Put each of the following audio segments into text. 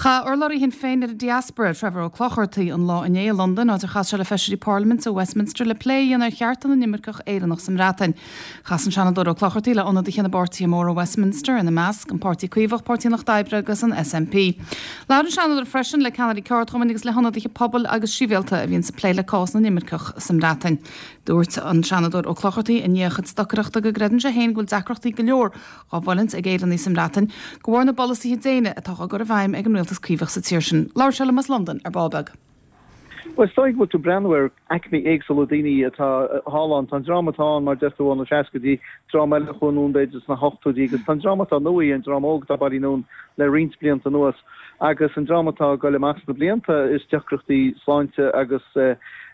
Chaith urlabhraí Shinn Féin ar an Diaspora, Trevor Ó Clochartaigh, an lá inné i Londain, áit ar chas sé le feisirí parlaiminte ó Westminster le plé a dhéanamh ar chearta na n-imirceach Éireannach sa mBreatain. Chas an Seanadóir Ó Clochartaigh le ionadaithe na bpáirtithe móra i Westminster, ina measc, an Páirtí Caomhach, Páirtí an Lucht Oibre agus an SNP. Labhair an Seanadóir freisin le ceannairí ceardchumainn agus le hionadaithe pobail agus sibhialta a bhíonns ag plé le cás na n-imirceach sa mBreatain. Dúirt an Seanadóir Ó Clochartaigh i ndiaidh a chuid stocaireachta go gcreideann sé féin go bhfuil deacrachtaí go leor á bhfulaingt ag Éireannaigh sa mBreatain de bharr na bpolasaithe déine atá á gcur i bhfeidhm ag an rialtas Caomhach sa tír sin. Labhair sé liom as Londain ar ball beag. Bhuel, is dóigh go bhfuil tú ag breathnú ar aicmí éagsúla daoine atá thall ann. Tá an dream atá ann, mar a deir tú, ó na seascaidí, dream eile a chuaigh anonn b'fhéidir sna hochtóidí agus tá an dream atá nua, an dream óg atá bailithe anonn le roinnt blianta anuas. Agus an dream atá ag goil amach sna blianta, is deacrachtaí sláinte agus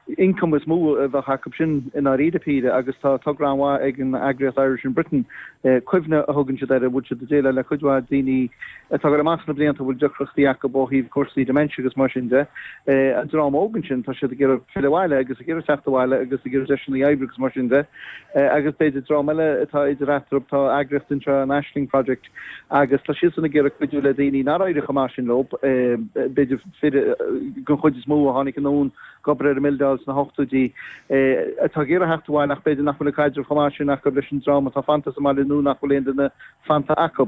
ioncaim is mó a bheadh acu sin i ndáiríre píre agus tá togra an-mhaith ag an eagraíocht Irish in Britain, Cuimhne a thugann siad air, a bhfuil siad ag déileáil le cuid mhaith daoine atá ag goil amach sna blianta a bhfuil deacrachtaí acu ó thaobh cúrsaí dementia agus mar sin de. An dream óg ansin, tá siad ag iarraidh filleadh abhaile agus ag iarraidh teacht abhaile agus ag iarraidh deiseanna oibre agus mar sin de. Agus b'fhéidir dream eile atá idir eatarthu, tá eagraíocht anseo, an Aisling Project, agus tá siadsan ag iarraidh cuidiú le daoine nár éirigh chomh maith sin leo, b'fhéidir fir den chuid is mó a tháinig anonn ag obair ar an mbildeáil sna hochtóidí, atá ag iarraidh theacht abhaile ach b'fhéidir nach bhfuil an caidreamh chomh maith sin acu leis an dream atá fanta sa mbaile nó nach bhfuil aon duine fanta acu.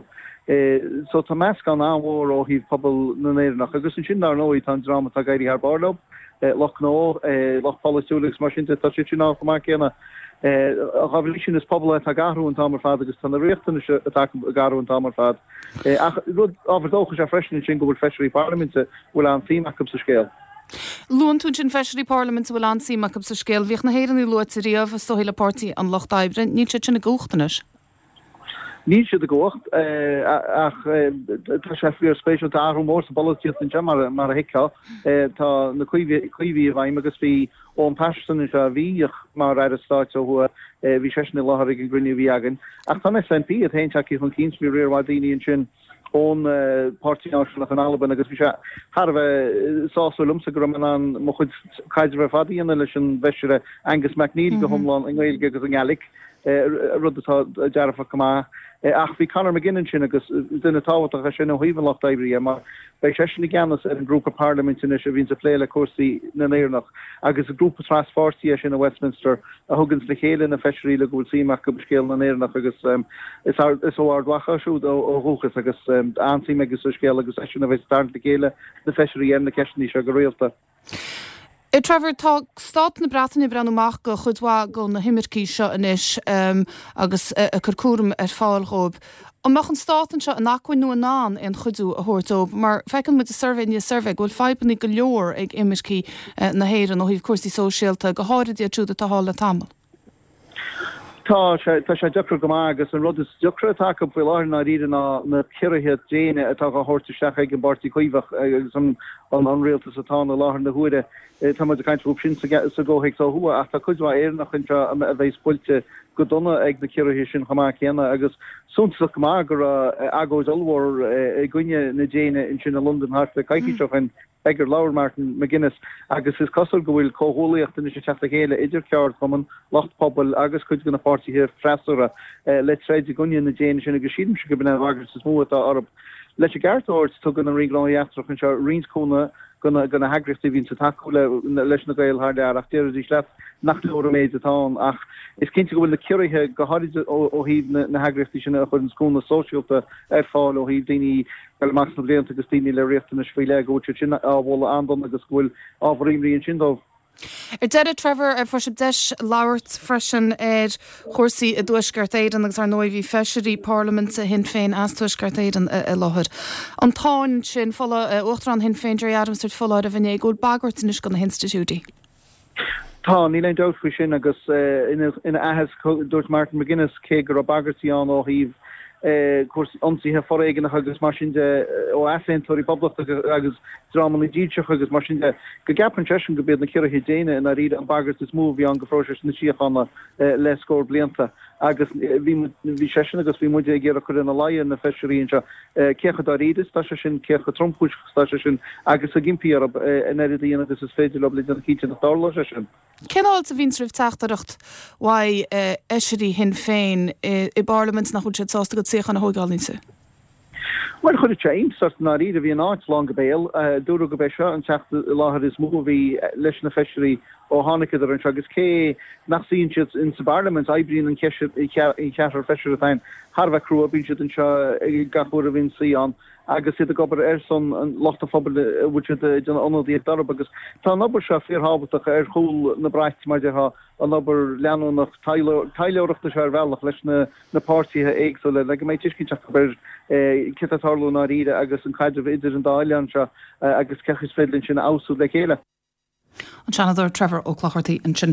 So tá meascán an-mhór ó thaobh pobal na nÉireannach agus ansin dar ndóigh tá an dream atá ag éirí thar barr leo, lucht gnó, lucht polaitiúil agus mar sin de, tá siad sin ann chomh maith céanna. Dá bhrí sin is pobal é atá ag athrú an t-am ar fad agus tá na riachtanais atá acu ag athrú an t-am ar fad. Ach rud ábhar dóchais é freisin ansin go bhfuil feisirí parlaiminte a bhfuil an-suim acu sa scéal. Luann tú ansin feisirí parlaiminte a bhfuil an-suim acu sa scéal. Bhíodh na hÉireannaigh luaite riamh, is dóigh, le Páirtí an Lucht Oibre. Níl siad sin i gcumhacht anois. Níl siad i gcumhacht ach tá sé fíorspéisiúil. Tá athrú mór sa bpolaitíocht anseo mar a thuigfeá. Tá na Caomhaigh i bhfeidhm agus bhí Owen Paterson anseo a bhíodh mar Aire Stáit ó thuaidh, bhí seisean i láthair ag an gcruinniú a bhí againn. Ach tá an SNP iad féin tagtha chun cinn, bhí riar mhaith daoine ansin ón Páirtí Náisiúnach in Albain agus bhí sé thar a bheith sásúil liomsa go raibh mé in ann mo chuid caidrimh ar fad a dhéanamh leis an bhfeisire Angus MacNeil go hiomlán i nGaeilge agus i nGaelic, rud atá dearfach go maith. Ach bhí Conor McGinn ansin agus duine tábhachtach é sin ó thaobh an Lucht Oibre dhe mar beidh seisean i gceannas ar an ngrúpa parlaiminte anois a bhíonns ag plé le cúrsaí na nÉireannach agus is grúpa traspháirtí é sin i Westminster a thuganns le chéile na feisirí le go bhfuil suim acu i scéal na nÉireannach agus is ó Ard Mhacha é siúd ó dhúchas agus an-suim aige sa scéal agus eisean a bheas ag tarraingt le chéile na feisirí ar na ceisteanna seo go rialta. A Trevor, tá stát na Breataine ag breathnú amach do chuid mhaith de na himircigh seo anois agus ag cur cúram ar fáil dhóibh. An mbeadh an stát anseo in acmhainn nó in ann aon chuidiú a thabhairt dóibh? Mar feiceann muid i suirbhé i ndiaidh suirbhé go bhfuil fadhbanna go leor ag imircigh na hÉireann ó thaobh cúrsaí sóisialta, go háirid iad siúd atá thall le tamall. Tá sé, tá sé deacair go maith agus an rud is deacra atá acu faoi láthair i ndáiríre ná na ciorruithe déine atá á thabhairt isteach ag an bPáirtí Caomhach agus an an rialtas atá ann i láthair na huaire. Tá muid ag caint fúthu sin sa gcomhthéacs ó thuaidh ach tá cuid mhaith Éireannach anseo a bheas buailte go dona ag na ciorruithe sin chomh maith céanna agus suntasach go maith go raibh agóid ollmhór i gcoinne na déine ansin i Londain thart le coicís ó shin ag ar labhair Martin McGuinness agus is cosúil go bhfuil comhghuaillíocht anois ag teacht le chéile idir ceardchumann, lucht pobail agus cuid de na páirtithe freasúra le troid i gcoinne na déine sin agus sílimse gurb in é an bhagairt is mó atá orthu. Leis an gceart a thabhairt, tugann an Roinn Gnóthaí Eachtracha anseo roinnt cúnamh do na heagraíochtaí a bhíonns ag tacú leis na Gaeil thar lear ach déarfaidís leat nach leor an méid atá ann. Ach is cinnte go bhfuil na ciorruithe, go háirid ó thaobh na heagraíochtaí sin a chuireanns cúnamh sóisialta ar fáil ó thaobh daoine ag dul amach sna blianta agus daoine le riachtanais faoi leith, go bhfuil siad sin á bhualadh an-dona agus go bhfuil ábhar imní ansin dóibh. Ar deireadh, Trevor, fuair sibh deis labhairt freisin ar chúrsaí i dTuaisceart Éireann agus ar ndóigh bhí feisirí parlaiminte Shinn Féin as Tuaisceart Éireann i láthair. An tsáinn sin, Uachtarán Shinn Féin Gerry Adams ag tabhairt foláireamh inné go bhfuil bagairt anois do na hinstitiúidí. Tá, níl aon dabht faoi sin agus ina aitheasc dúirt Martin McGuinness cé go raibh bagairtí ann ó thaobh cúrsaí ionsaithe foréigneacha agus mar sin de ó easaontóirí poblachtacha agus dreamanna dílseacha agus mar sin de, go gceapann seisean gurb iad na ciorruithe déine i ndáiríre an bhagairt is mó a bhí ann do phróiseas na síochána le scór blianta. Agus bhí bhí seisean agus bhí muide ag iarraidh cur ina luí ar na feisirí anseo cé chomh dáiríre is atá sé sin, cé chomh tromchúiseach is atá sé sin agus ag impí orthu an oiread a dhéanamh agus is féidir leo le déanamh cinnte nach dtarlóidh sé sin. Cén fháilte a bhíonns roimh teachtaireacht uaidh fheisirí Shinn Féin i bParlaimint nach bhfuil siad sásta a gcuid suíochán a thóigeáil iontu? Bhuel, chuir sé iontas ort i ndáiríre. Bhí an áit lán go béal. Dúradh gurb é seo an teacht i láthair is mó a bhí leis na feisirí ó tháinigeadar anseo agus cé nach suíonn siad in sa bParlaimint, oibríonn an ceathrar feisire atá ann thar a bheith crua, bíonn siad anseo gach uair a bhíonn suí ann agus iad ag obair ar son lucht an phobail a bhfuil siad ag déanamh ionadaíocht orthu agus tá an obair seo fíorthábhachtach ar chúl na braite mar déarfá, an obair leanúnach taidhleoireachta seo ar bhealach leis na na páirtithe éagsúla le go mbeidh tuiscint acu ar céard atá ag tarlú i ndáiríre agus an caidreamh idir an dá oileán seo agus cén chaoi is féidir linn sin a fheabhsú le chéile. An Seanadóir Trevor Ó Clochartaigh ansin.